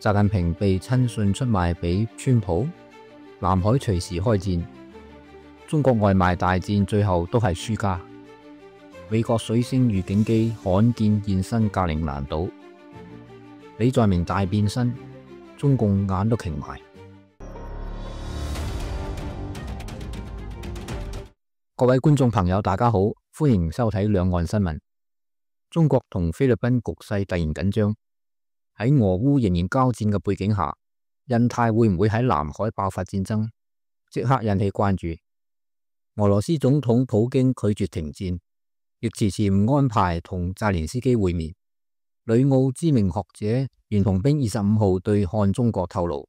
習近平被親信出賣俾川普，南海隨時開戰，中國外賣大戰最後都係輸家。美國水星預警機罕見現身格陵蘭島，李在明大變身，中共眼都擎埋。各位觀眾朋友，大家好，歡迎收睇兩岸新聞。中國同菲律賓局勢突然緊張，喺俄烏仍然交戰嘅背景下，印太會唔會喺南海爆發戰爭，即刻引起關注。俄羅斯總統普京拒絕停戰，亦遲遲唔安排同澤連斯基會面。旅澳知名學者袁同兵25號對看中國透露，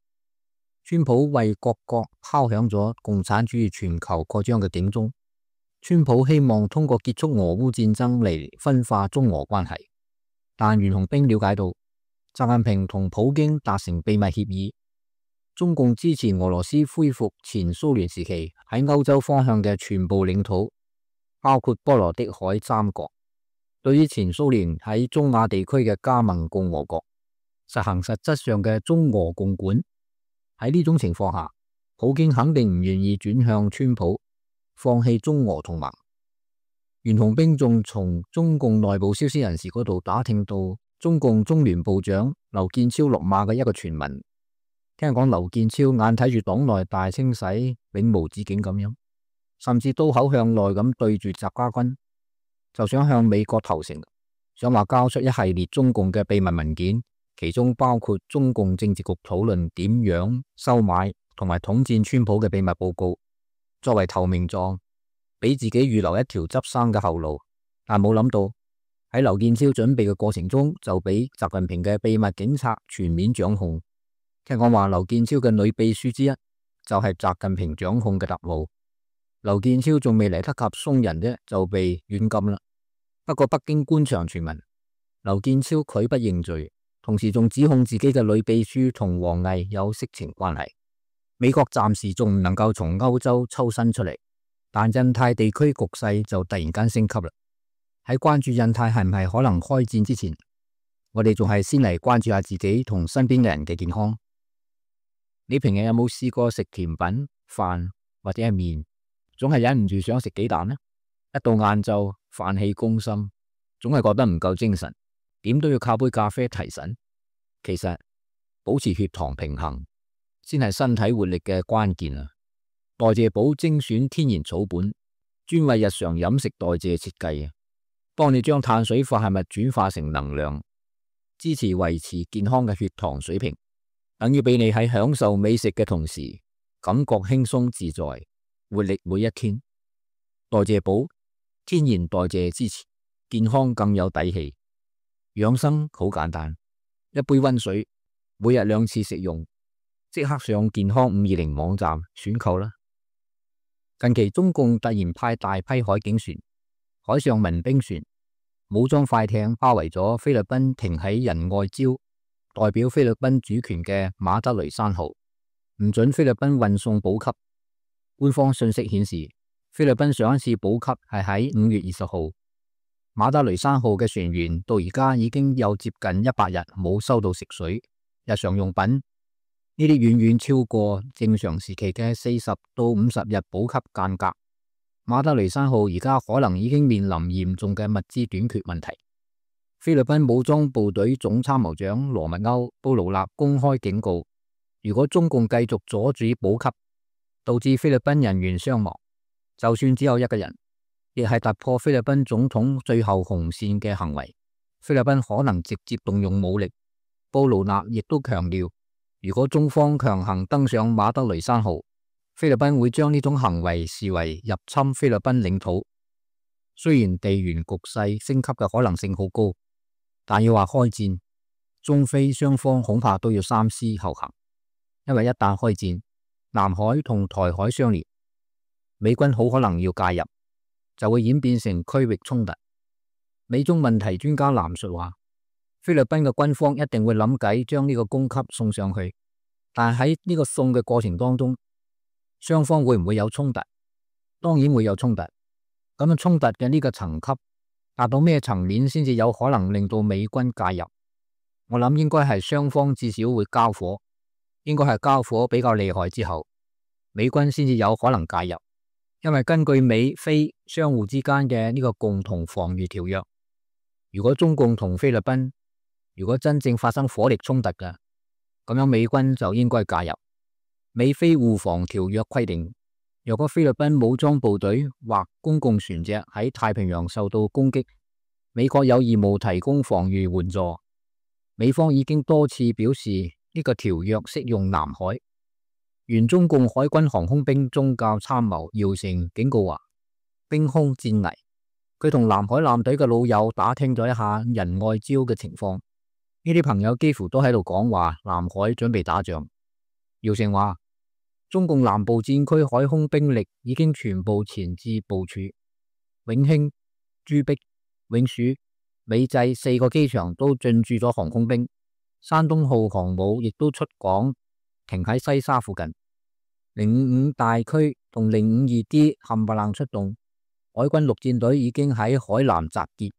川普為各國敲響咗共產主義全球擴張嘅警鐘。川普希望通過結束俄烏戰爭嚟分化中俄關係，但袁同兵了解到，習近平同普京達成秘密協議，中共支持俄羅斯恢復前蘇聯時期喺歐洲方向嘅全部領土，包括波羅的海三國。對於前蘇聯喺中亞地區嘅加盟共和國，實行實質上嘅中俄共管。喺呢種情況下，普京肯定唔願意轉向川普，放棄中俄同盟。袁同兵仲從中共內部消息人士嗰度打聽到中共中聯部長劉建超落馬嘅一個傳聞。聽講劉建超眼睇住黨內大清洗永無止境咁樣，甚至刀口向內咁對住習家軍，就想向美國投誠，想話交出一系列中共嘅秘密文件，其中包括中共政治局討論點樣收買同埋統戰川普嘅秘密報告，作為投名狀，俾自己預留一條執生嘅後路。但冇諗到喺劉建超準備嘅過程中，就俾習近平嘅秘密警察全面掌控。聽講話劉建超嘅女秘書之一就係習近平掌控嘅特務。劉建超仲未嚟得及鬆人啫，就被軟禁啦。不過北京官場傳聞，劉建超拒不認罪，同時仲指控自己嘅女秘書同王毅有色情關係。美國暫時仲唔能夠從歐洲抽身出嚟，但印太地區局勢就突然間升級啦。喺關注印太係唔係可能開戰之前，我哋仲係先嚟關注下自己同身邊嘅人嘅健康。你平日有冇試過食甜品、飯或者係麵，總係忍唔住想食幾啖呢？一到晏晝飯氣攻心，總係覺得唔夠精神，點都要靠杯咖啡提神。其實保持血糖平衡先係身體活力嘅關鍵啊！代謝寶精選天然草本，專為日常飲食代謝設計啊，幫你將碳水化合物轉化成能量，支持維持健康嘅血糖水平，等於俾你喺享受美食嘅同時，感覺輕鬆自在，活力每一天。代謝寶天然代謝支持，健康更有底氣。養生好簡單，一杯溫水，每日2次食用。即刻上健康520網站選購啦！近期中共突然派大批海警船、海上民兵船、武裝快艇包圍咗菲律賓停喺仁愛礁、代表菲律賓主權嘅馬德雷珊號，唔准菲律賓運送補給。官方信息顯示，菲律賓上一次補給係喺5月20號。馬德雷珊號嘅船員到而家已經有接近100日冇收到食水、日常用品。呢啲遠遠超過正常時期嘅40到50日補給間隔。馬德雷珊號而家可能已經面臨嚴重嘅物資短缺問題。菲律賓武裝部隊總參謀長羅密歐·布勞納公開警告，如果中共繼續阻止補給，導致菲律賓人員傷亡，就算只有一個人，亦係突破菲律賓總統最後紅線嘅行為。菲律賓可能直接動用武力。布勞納亦都強調，如果中方強行登上馬德雷珊號，菲律賓會將呢種行為視為入侵菲律賓領土。雖然地緣局勢升級嘅可能性好高，但要話開戰，中菲雙方恐怕都要三思後行。因為一旦開戰，南海同台海相連，美軍好可能要介入，就會演變成區域衝突。美中問題專家藍述話，菲律賓嘅軍方一定會諗計將呢個供給送上去，但喺呢個送嘅過程當中，雙方會唔會有衝突？當然會有衝突。咁樣衝突嘅呢個層級達到咩層面先至有可能令到美軍介入？我諗應該係雙方至少會交火，應該係交火比較厲害之後，美軍先至有可能介入。因為根據美菲相互之間嘅呢個共同防禦條約，如果中共同菲律賓如果真正發生火力衝突嘅，咁樣美軍就應該介入。美菲互防條約規定，若果菲律賓武裝部隊或公共船隻喺太平洋受到攻擊，美國有義務提供防禦援助。美方已經多次表示呢個條約適用南海。原中共海軍航空兵宗教參謀姚成警告話：兵凶戰危。佢同南海艦隊嘅老友打聽咗一下仁愛礁嘅情況，呢啲朋友幾乎都喺度講話南海準備打仗。姚成話：中共南部戰區海空兵力已經全部前置部署，永興、朱碧、永暑、美濟4個機場都進駐咗航空兵，山東號航母亦都出港停喺西沙附近。055大區同052D 冚唪唥出動，海軍陸戰隊已經喺海南集結，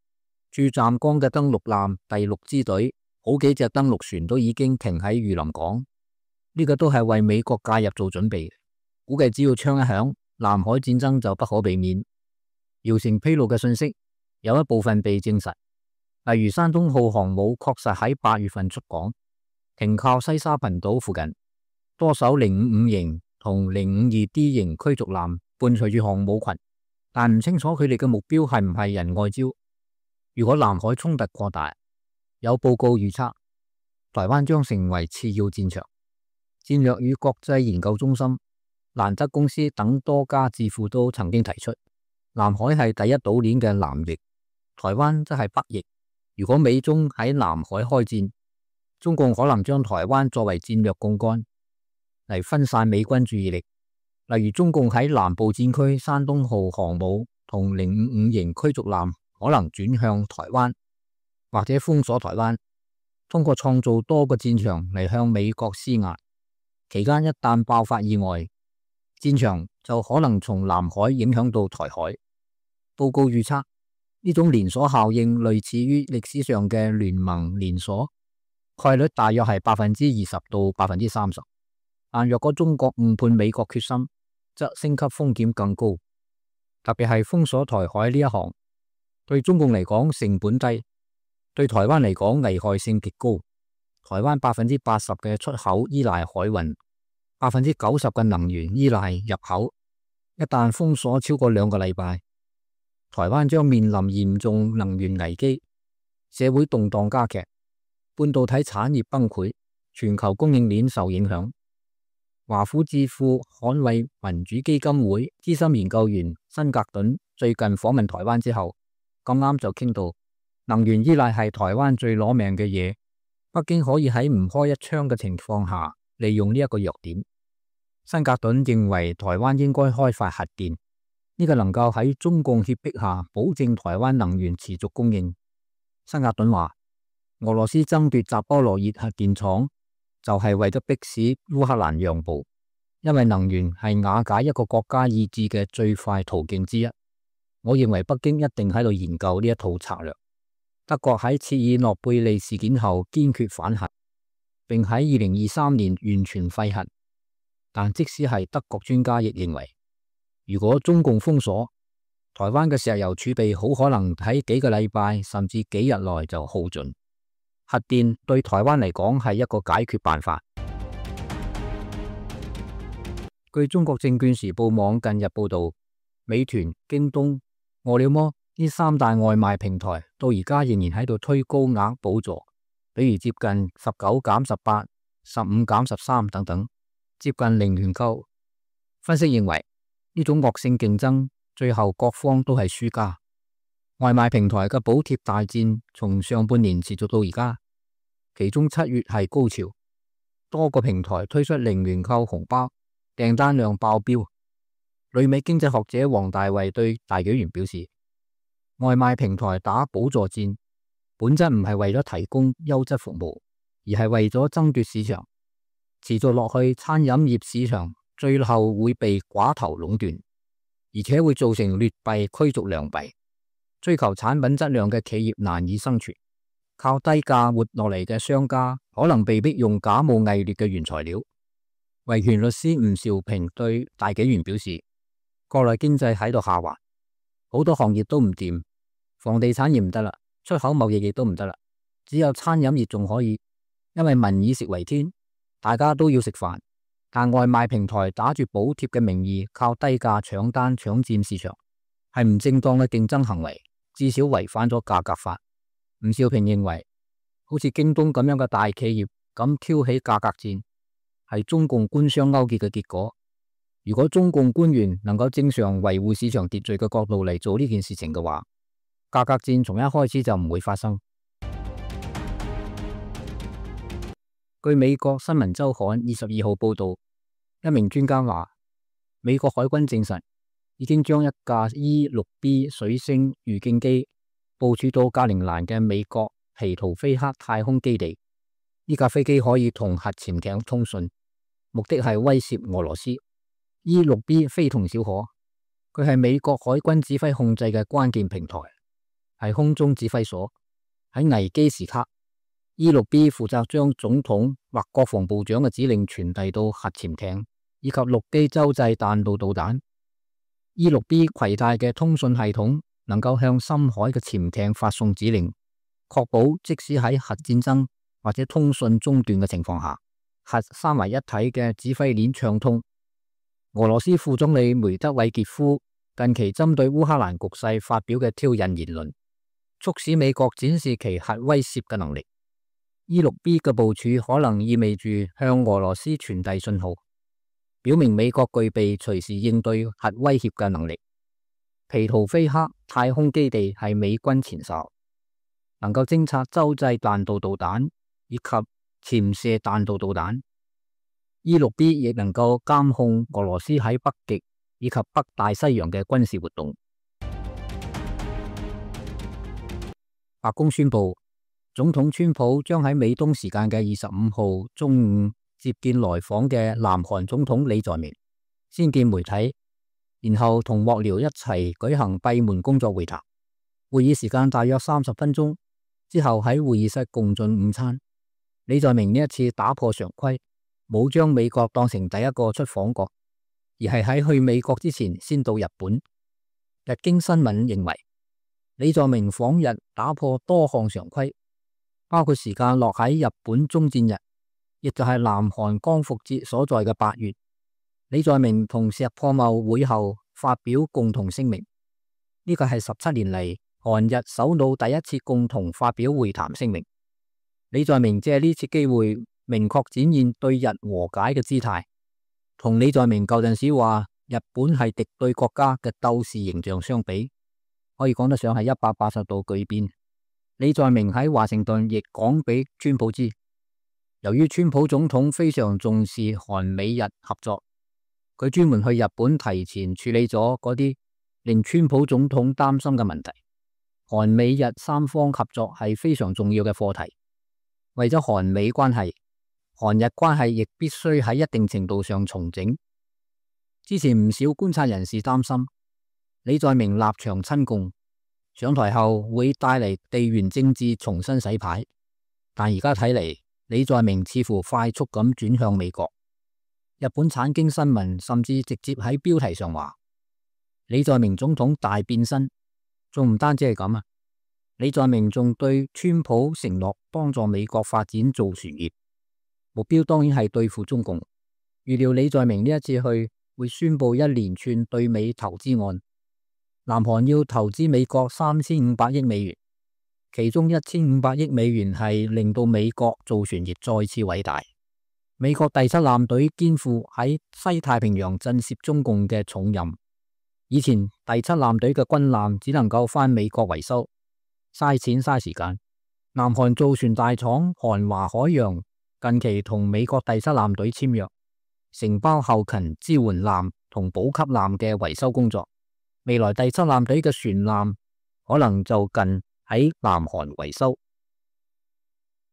駐湛江嘅登陸艦第6支隊好幾隻登陸船都已經停喺榆林港，呢個都係為美國介入做準備。估計只要槍一響，南海戰爭就不可避免。姚成披露嘅信息有一部分被證實，例如山東號航母確實喺8月份出港，停靠西沙群島附近，多艘055型同052D 型驅逐艦伴隨住航母群，但唔清楚佢哋嘅目標係唔係仁愛礁。如果南海衝突擴大，有報告預測台灣將成為次要戰場。戰略與國際研究中心、蘭德公司等多家智庫都曾經提出，南海係第一島鏈嘅南翼，台灣則係北翼。如果美中喺南海開戰，中共可能將台灣作為戰略槓桿嚟分散美軍注意力，例如中共喺南部戰區山東號航母同055型驅逐艦可能轉向台灣，或者封鎖台灣，通過創造多個戰場嚟向美國施壓。期間一旦爆發意外，戰場就可能從南海影響到台海。報告預測呢種連鎖效應類似於歷史上嘅聯盟連鎖，概率大約係20%到30%。但若果中國誤判美國決心，則升級風險更高。特別係封鎖台海呢一行，對中共嚟講成本低，對台灣嚟講危害性極高。台灣80%嘅出口依賴海運，90%嘅能源依賴入口。一旦封鎖超過2個禮拜，台灣將面臨嚴重能源危機，社會動盪加劇，半導體產業崩潰，全球供應鏈受影響。華府智庫捍衛民主基金會資深研究員辛格頓最近訪問台灣之後，咁啱就傾到能源依賴係台灣最攞命嘅嘢，北京可以喺唔開一槍嘅情況下利用呢一個弱點。辛格頓認為台灣應該開發核電，呢個能夠喺中共脅迫下保證台灣能源持續供應。辛格頓話，俄羅斯爭奪扎波羅熱核電廠就係為咗迫使烏克蘭讓步，因為能源係瓦解一個國家意志嘅最快途徑之一。我認為北京一定喺度研究呢一套策略。德國喺切爾諾貝利事件後堅決反核，並喺2023年完全廢核。但即使係德國專家亦認為，如果中共封鎖台灣嘅石油儲備，好可能喺幾個禮拜甚至幾日內就耗盡。核電對台灣嚟講係一個解決辦法。據中國證券時報網近日報道，美團、京東、餓了麼呢3大外賣平台到而家仍然喺度推高額補助，比如接近19減18、15減13等等，接近零元購。分析認為呢種惡性競爭，最後各方都係輸家。外賣平台嘅補貼大戰從上半年持續到而家，其中7月係高潮，多個平台推出零元購紅包，訂單量爆標。旅美經濟學者王大衛對大紀元表示，外賣平台打補助戰，本質唔係為咗提供優質服務，而係為咗爭奪市場。持續落去，餐飲業市場最後會被寡頭壟斷，而且會造成劣幣驅逐良幣。追求產品質量嘅企業難以生存，靠低價活落嚟嘅商家可能被逼用假冒偽劣嘅原材料。維權律師吳兆平對大紀元表示，國內經濟喺度下滑，好多行業都唔掂，房地產業唔得啦，出口貿易亦都唔得啦，只有餐飲業仲可以，因為民以食為天，大家都要食飯。但外賣平台打住補貼嘅名義，靠低價搶單搶佔市場，係唔正當嘅競爭行為，至少違反咗價格法。吳兆平認為，好似京東咁樣嘅大企業咁挑起價格戰，係中共官商勾結嘅結果。如果中共官員能夠正常維護市場秩序嘅角度嚟做呢件事情嘅話，價格戰從一開始就唔會發生。據美國新聞週刊22號報道，一名專家話，美國海軍證實已經將一架 E-6B 水星預警機部署到格陵蘭嘅美國皮圖菲克太空基地。呢架飛機可以同核潛艇通訊，目的係威懾俄羅斯。E-6B 非同小可，佢係美國海軍指揮控制嘅關鍵平台，係空中指揮所。喺危機時刻，E-6B 負責將總統或國防部長嘅指令傳遞到核潛艇以及陸基洲際彈道導彈。E-6B 攜帶嘅通訊系統能夠向深海嘅潛艇發送指令，確保即使喺核戰爭或者通訊中斷嘅情況下，核三位一體嘅指揮鏈暢通。俄羅斯副總理梅德韋傑夫近期針對烏克蘭局勢發表嘅挑釁言論，促使美國展示其核威懾嘅能力。E-6B 嘅部署可能意味住向俄羅斯傳遞信號，表明美國具備隨時應對核威脅嘅能力。皮圖菲克太空基地係美軍前哨，能夠偵察洲際彈道導彈以及潛射彈道導彈。E-6B 亦能夠監控俄羅斯喺北極以及北大西洋嘅軍事活動。白宮宣布，總統川普將喺美東時間嘅25號中午接見來訪嘅南韓總統李在明，先見媒體，然後同幕僚一齊舉行閉門工作會談。會議時間大約30分鐘，之後喺會議室共進午餐。李在明呢一次打破常規，冇將美國當成第一個出訪國，而係喺去美國之前先到日本。日經新聞認為，李在明訪日打破多項常規，包括時間落喺日本終戰日，亦就係南韓光復節所在嘅8月。李在明同石破茂會後發表共同聲明，呢個係17年嚟韓日首腦第一次共同發表會談聲明。李在明借呢次機會明確展現對日和解嘅姿態，同李在明舊陣時話日本係敵對國家嘅鬥士形象相比，可以講得上係180度巨變。李在明喺華盛頓亦講俾川普知，由於川普總統非常重視韓美日合作，佢專門去日本提前處理咗嗰啲令川普總統擔心嘅問題。韓美日三方合作係非常重要嘅課題，為咗韓美關係，韓日關係亦必須喺一定程度上重整。之前唔少觀察人士擔心李在明立場親共，上台後會帶嚟地緣政治重新洗牌，但而家睇嚟，李在明似乎快速咁轉向美國。日本產經新聞甚至直接喺標題上話，李在明總統大變身。仲唔單止係咁啊，李在明仲對川普承諾幫助美國發展造船業，目標當然係對付中共。預料李在明呢一次去會宣布一連串對美投資案，南韓要投資美國3500億美元，其中1500億美元係令到美國造船業再次偉大。美國第7艦隊肩負喺西太平洋震懾中共嘅重任。以前第7艦隊嘅軍艦只能夠返美國維修，嘥錢嘥時間。南韓造船大廠韓華海洋近期同美國第7艦隊簽約，承包後勤支援艦同補給艦嘅維修工作。未來第7艦隊嘅船艦可能就近喺南韓維修。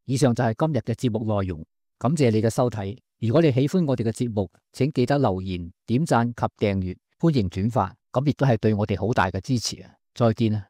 以上就係今日嘅節目內容，感謝你嘅收睇。如果你喜歡我哋嘅節目，請記得留言、點讚及訂閱，歡迎轉發。咁亦都係對我哋好大嘅支持啊！再見啊！